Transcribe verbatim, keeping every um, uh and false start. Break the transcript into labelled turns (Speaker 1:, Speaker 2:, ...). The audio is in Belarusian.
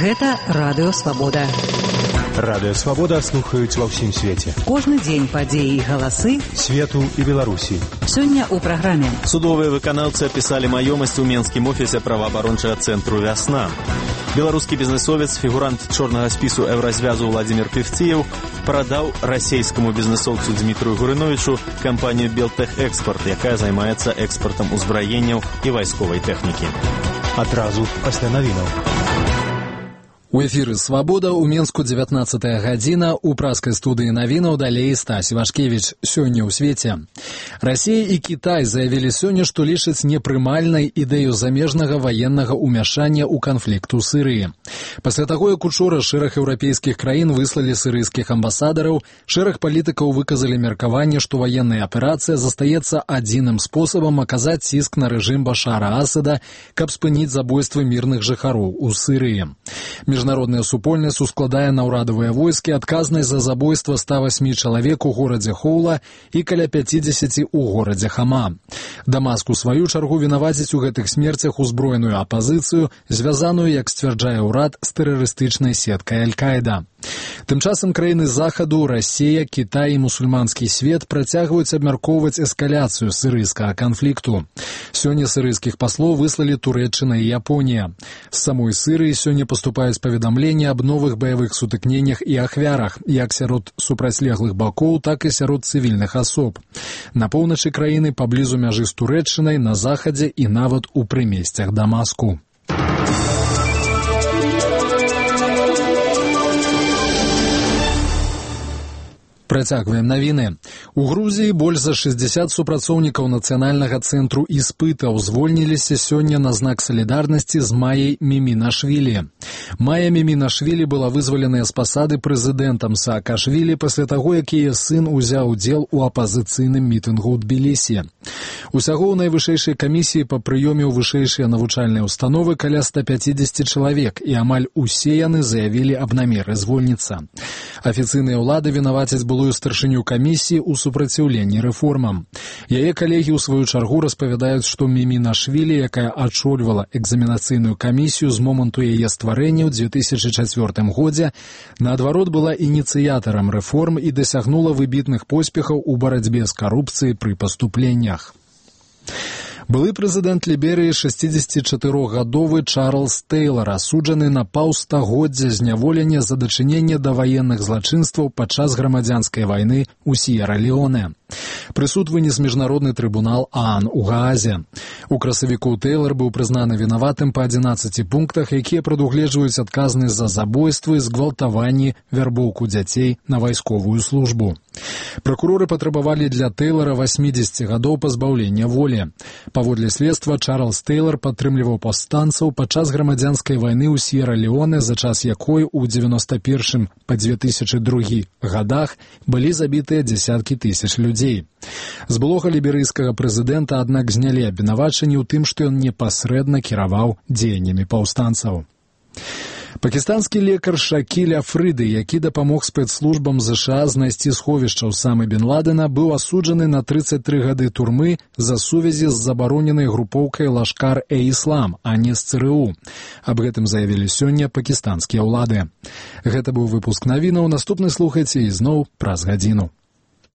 Speaker 1: Гэта Радыё Свабода.
Speaker 2: Радыё Свабода слухаюць ва ўсім свеце.
Speaker 1: Кожны дзень падзеі і галасы
Speaker 2: свету і Беларусі.
Speaker 1: Сёння ў праграме.
Speaker 3: Судовыя выканаўцы апісалі маёмасць у Менскім офісе праваабарончага цэнтру «Вясна». Беларускі бізнесовец, фігурант чорнага спісу еўразвязу Владзімір Певціеў прадаў расійскаму бізнесоўцу Дмітрию Гурыновічу кампанію «Белтэхэкспорт», якая займаецца экспартам узбраенняў і вайсковай тэхнікі.
Speaker 2: Адразу пасля навінаў.
Speaker 4: У эфіры «Свабода» у Менску дзевятнаццатая гадзіна, у праскай студыі навінаў далей Стась Івашкевіч. Сёння ў свеце. Расія і Кітай заявілі сёння, што лічаць непрымальнай ідэю замежнага ваеннага ўмяшання ў канфлікт у Сірыі. Пасля таго, як учора шэраг еўрапейскіх краін выслалі сірыйскіх амбасадараў, шэраг палітыкаў выказалі меркаванне, што ваенная аперацыя застаецца адзіным спосабам аказаць ціск на рэжым Башара Асада, каб спыніць забойствы мірных жыхароў у Сірыі. Міжнародная супольнасць ускладае на ўрадавыя войскі адказнасць за забойства ста васьмі чалавек у горадзе Хоула і каля пяцідзесяці ў горадзе Хама. Дамаск у сваю чаргу вінаваціць у гэтых смерцях узброеную апазіцыю, звязаную, як сцвярджае ўрад, з тэрарыстычнай сеткай Аль-Каіда. Тым часам краіны захаду, Расія, Кітай і мусульманскі свет працягваюць абмяркоўваць эскаляцыю сірыйскага канфлікту. Сёння сірыйскіх паслоў выслалі Турэччына і Японія. З самой Сірыі сёння паступаюць паведамленні аб новых баявых сутыкненнях і ахвярах, як сярод супрацьлеглых бакоў, так і сярод цывільных асоб. На поўначы краіны, паблізу мяжы з Турэччынай, на захадзе і нават у прымесцях Дамаску. Працягваем навіны. У Грузіі больш за шэсцьдзесят супрацоўнікаў нацыянальнага цэнтру іспытаў звольніліся сёння на знак салідарнасці з Майяй Мімінашвілі. Майя Мімінашвілі была вызваленая з пасады прэзідэнтам Саакашвілі пасля таго, як яе сын узяў удзел у апазіцыйным мітынгу ў Тбілісі. Усяго ў найвышэйшай камісіі па прыёме ў вышэйшыя навучальныя ўстановы каля ста пяцідзесяці чалавек, і амаль усе яны заявілі аб намеры звольніцца. Афіцыйныя ўлады вінавацяць былую старшыню камісіі ў супраціўленні рэформам. Яе калегі ў сваю чаргу распавядаюць, што Мімінашвілі, якая ачольвала экзаменацыйную камісію з моманту яе стварэння ў дзве тысячы чацвёртым годзе, наадварот была ініцыятарам рэформ і дасягнула выбітных поспехаў у барацьбе з карупцыяй пры паступленнях. Былы прэзідэнт Ліберыі шэсцідзесяцічатырохгадовы Чарльз Тэйлар асуджаны на паўстагоддзя зняволення за дачыненне да ваенных злачынстваў падчас грамадзянскай вайны ў С'ера-Леоне. Прысуд вынес міжнародны трыбунал ААН у Гаазе. У красавіку Тэйлар быў прызнаны вінаватым па адзінаццаці пунктах, якія прадугледжваюць адказнасць за забойствы, згвалтаванні, вярбоўку дзяцей на вайсковую службу. Пракуроры патрабавалі для Тэйлара васьмідзесяці гадоў пазбаўлення волі. Паводле следства, Чарльз Тэйлар падтрымліваў паўстанцаў падчас грамадзянскай вайны ў С'ера-Леоне, за час якой у дзевяноста першым па дзве тысячы другі гадах былі забітыя дзесяткі тысяч людзей. З былога ліберыйскага прэзідэнта, аднак, знялі абвінавачанні ў тым, што ён непасрэдна кіраваў дзеяннямі паўстанцаў. Пакістанскі лекар Шакіль Афрыды, які дапамог спецслужбам ЗША знайсці сховішча Усамы бен Ладена, быў асуджаны на трыццаць тры гады турмы за сувязі з забароненай групоўкай Лашкар-э-Іслам, а не з ЦРУ. Аб гэтым заявілі сёння пакістанскія ўлады. Гэта быў выпуск навінаў. Наступны слухайце ізноў праз гадзіну.